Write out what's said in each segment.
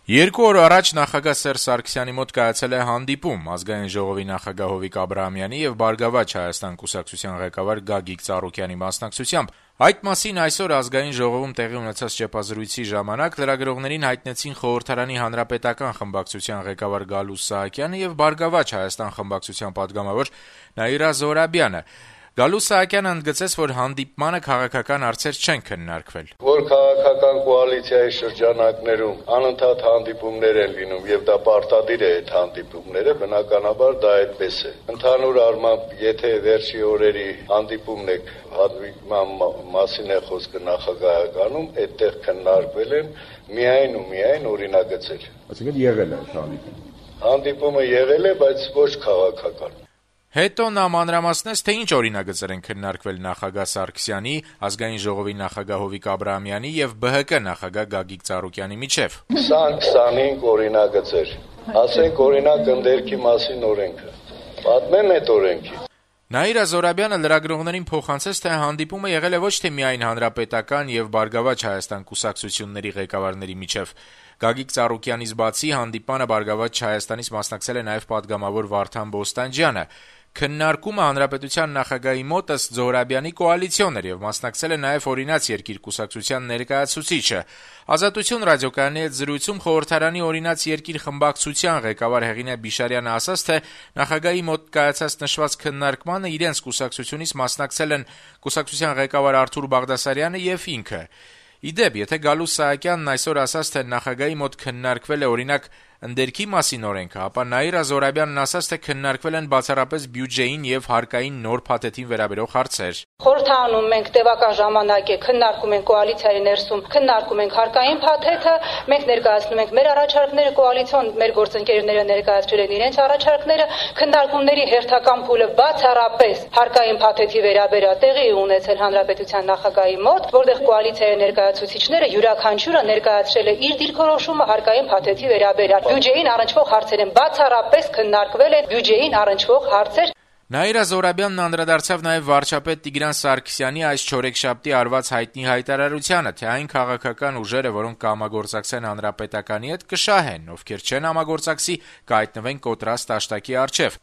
Երկու օր առաջ նախագահ Սերժ Սարգսյանի մոտ կայացել է հանդիպում Ազգային ժողովի նախագահ Հովիկ Աբրահամյանի եւ Բարգավաճ Հայաստան կուսակցության ղեկավար Գագիկ Ծառուկյանի մասնակցությամբ։ Այդ մասին այսօր Ազգային ժողովում տեղի ունեցած ճեպազրույցի ժամանակ լրագրողներին հայտնեցին Խորհրդարանի հանրապետական խմբակցության ղեկավար Գալուստ Սահակյանը եւ Բարգավաճ Հայաստան խմբակցության պատգամավոր Նաիրա Զոհրաբյանը։ Գալուստ Սահակյանը ընդգծեց, որ հանդիպմանը քաղաքական հարցեր չեն քննարկվել։ Որ քաղաքական կոալիցիայի շրջանակներում անընդհատ հանդիպումներ են լինում եւ դա պարտադիր է այդ հանդիպումները, բնականաբար դա այդպես է։ Ընդհանուր առմամբ, եթե վերջի օրերի հանդիպումն է հանդիպման մասին է խոսքը նախագահականում, այդտեղ քննարկվել են միայն օրինագծեր։ Այսինքն եղել է հանդիպում։ Հանդիպումը եղել է, բայց ոչ քաղաքական։ Հետո նա մանրամասնեց, թե ինչ օրինագծեր են քննարկվել նախագահ Սարգսյանի, Ազգային ժողովի նախագահ Հովիկ Աբրահամյանի եւ ԲՀԿ նախագահ Գագիկ Ծառուկյանի միջեւ։ 20-25 օրինագծեր։ Ասենք օրինակ ընդերքի մասին օրենքը։ Պատմեմ այդ օրենքի։ Նաիրա Զոհրաբյանը լրագրողներին փոխանցեց, թե հանդիպումը եղել է ոչ թե միայն հանրապետական եւ Բարգավաճ Հայաստան կուսակցությունների ղեկավարների միջեւ։ Գագիկ Ծառուկյանից բացի հանդիպանը Բարգավաճ Հայաստանից մասնակցել է նաեւ պատգամավոր Վարդան Բոստանջյանը։ Քննարկումը հանրապետության նախագահի մոտ ըստ Զոհրաբյանի կոալիցիոն էր եւ մասնակցել է նաեւ Օրինաց երկիր կուսակցության ներկայացուցիչը։ Ազատություն ռադիոկայանի հետ զրույցում Խորհրդարանի Օրինաց երկիր խմբակցության ղեկավար Հեղինե Բիշարյանը ասաց, թե նախագահի մոտ կայացած նշված քննարկմանը իրենց կուսակցությունից մասնակցել են կուսակցության ղեկավար Արթուր Բաղդասարյանը եւ ինքը։ Իդեպ, եթե Գալուստ Սահակյանն այսօր ասաց, թե նախագահի մոտ քննարկվել է օրինակ ընդերքի մասին օրենքը, ապա Նաիրա Զոհրաբյանն ասաց, թե քննարկվել են բացառապես բյուջեին եւ հարկային նոր փաթեթին վերաբերող հարցեր։ Խորհրդանում մենք տևական ժամանակ է քննարկում ենք կոալիցիայի ներսում, քննարկում ենք հարկային փաթեթը, մենք ներկայացնում ենք մեր առաջարկները, կոալիցիոն մեր գործընկերները ներկայացրել են իրենց առաջարկները, քննարկումների հերթական փուլը բացառապես հարկային փաթեթի վերաբերյալ տեղի ունեցել հանրապետության նախագահի մոտ, որտեղ կոալիցիայի ներկայացուցիչները յուրաքանչյուրը ներկայացրել է իր դիրքորոշումը հարկային փաթեթի վերաբերյալ։ Բյուջեին առնչվող հարցեր են բացառապես քննարկվել են բյուջեին առնչվող հարցեր։ Նաիրա Զոհրաբյանն անդրադարձավ նաև վարչապետ Տիգրան Սարգսյանի այս չորեքշաբթի արված հայտնի հայտարարությանը, թե այն քաղաքական ուժերը, որոնք կհամագործակցեն հանրապետականի հետ, կշահեն, ովքեր չեն համագործակցի, կհայտնվեն կոտրած տաշտակի առջև։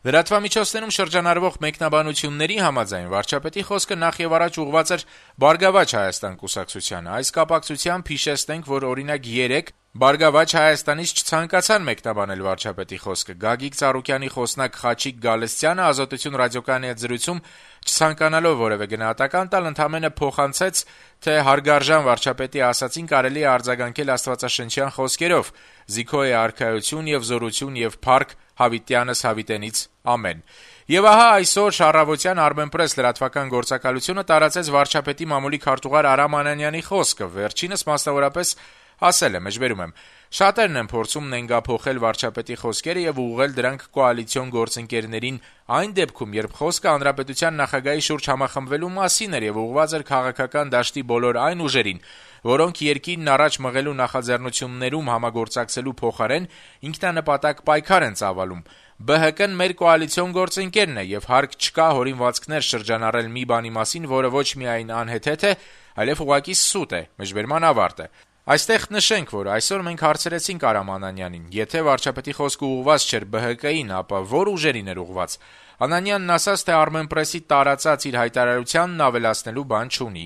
Լրատվամիջոցներում շրջանառվող մեկնաբանությունների համաձայն վարչապետի խոսքը նախ եւ առաջ ուղղված էր Բարգավաճ Հայաստան կուսակցությանը։ Այս կապակցությամբ հիշեցնենք, որ օրինակ 3 Բարգավաճ Հայաստանից չցանկացան մեկնաբանել վարչապետի խոսքը։ Գագիկ Ծառուկյանի խոսնակ Խաչիկ Գալստյանը Ազատություն ռադիոկայանի հետ զրույցում չցանկանալով որևէ գնահատական տալ, ընդամենը փոխանցեց, թե հարգարժան վարչապետի ասացին կարելի է արձագանքել աստվածաշնչյան խոսքերով. «Զիքո է արքայություն եւ զորություն եւ փառք Հավիտյանս հավիտենից ամեն»։ Եվ ահա այսօր շարավոտյան Armenpress լրատվական գործակալությունը տարածեց վարչապետի մամուլի քարտուղար Արամ Անանյանի խոսքը։ Վերջինս մասնավորապես ասել է, մեջբերում եմ. «Շատերն են փորձում նենգափոխել վարչապետի խոսքերը եւ ուղղել դրանք կոալիցիոն գործընկերներին այն դեպքում, երբ խոսքը հանրապետության նախագահի շուրջ համախմբվելու մասին էր եւ ուղղված էր քաղաքական դաշտի բոլոր այն ուժերին, որոնք երկիրն առաջ մղելու նախաձեռնություններում համագործակցելու փոխարեն ինքնանպատակ պայքար են ծավալում։ ԲՀԿ-ն մեր կոալիցիոն գործընկերն է եւ հարկ չկա հորինվածքներ շրջանառել մի բանի մասին, որը ոչ միայն անհեթեթ է, այլև ուղղակի սուտ է»։ Մեջբերման ավարտ է։ Այստեղ նշենք, որ այսօր մենք հարցրեցինք Արամ Անանյանին, եթե վարչապետի խոսքը ուղղված չէր ԲՀԿ-ին, ապա որ ուժերին էր ուղղված։ Անանյանն ասաց, թե Armenpress-ի տարածած իր հայտարարությանն ավելացնելու բան չունի։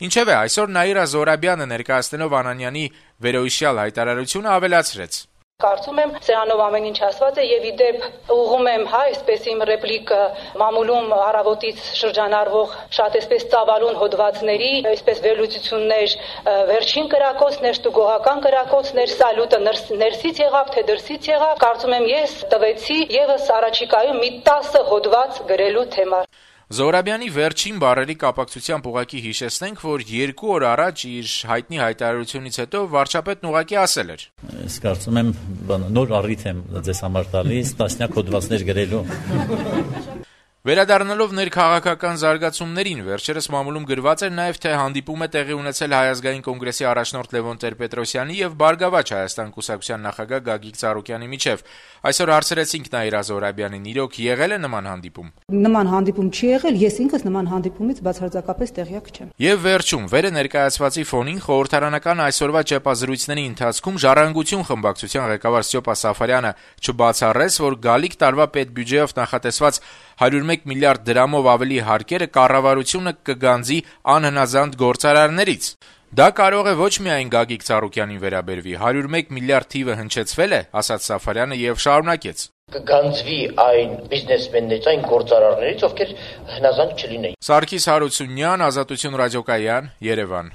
Ինչևէ, այսօր Նաիրա Զոհրաբյանը ներկայացնելով Անանյանի վերոհիշյալ հայտարարությունը ավելացրեց. Կարծում եմ, սրանով ամեն ինչ ասված է եւ իդեպ ուղղում եմ, այսպես իմ ռեպլիկը մամուլում առավոտից շրջանառվող շատ այսպես ծավալուն հոդվածների, այսպես վերլուծություններ, վերջին կրակոցներ, ստուգողական կրակոցներ, սալյուտը ներսից եղավ, թե դրսից եղավ, կարծում եմ ես տվեցի եւս առաջիկայում մի 10 հոդված գրելու թեմա։ Զոհրաբյանի վերջին բառերի կապակցությամբ ուղղակի հիշեցնենք, որ 2 օր առաջ իր հայտնի հայտարարությունից հետո վարչապետն ուղղակի ասել էր. Ես կարծում եմ նոր առիթ եմ ձեզ համար տալիս, տասնյակ հոդվածներ գրելու։ Վերադառնալով ներքաղաքական զարգացումներին, վերջերս մամուլում գրված էր նաև, թե հանդիպում է տեղի ունեցել Հայ ազգային կոնգրեսի առաջնորդ Լևոն Տեր-Պետրոսյանի եւ Բարգավաճ Հայաստան կուսակցության նախագահ Գագիկ Ծառուկյանի միջև։ Այսօր հարցրեցինք Նաիրա Զոհրաբյանին, իրոք եղել է նման հանդիպում։ Նման հանդիպում չի եղել, ես ինքս նման հանդիպումից բացարձակապես տեղյակ չեմ։ Եվ վերջում, վերը ներկայացվածի ֆոնին խորհրդարանական այսօրվա ճեպազրույցների ընթացքում Ժառանգություն խմբակցության ղեկավար Ստյոպա Սաֆարյանը չբացառեց, որ գալիք տարվա պետբյուջեով նախատեսված 101 միլիարդ դրամով ավելի հարկերը կառավարությունը կգանձի անհնազանդ գործարարներից։ Դա կարող է ոչ միայն Գագիկ Ծառուկյանին վերաբերվի, 101 միլիարդ թիվը հնչեցվել է, ասաց Սաֆարյանը եւ շարունակեց. կգանձվի այն բիզնեսմեններից, այն գործարարներից, ովքեր հնազանդ չլինեին։ Սարգիս Հարությունյան, Ազատություն ռադիոկայան, Երևան։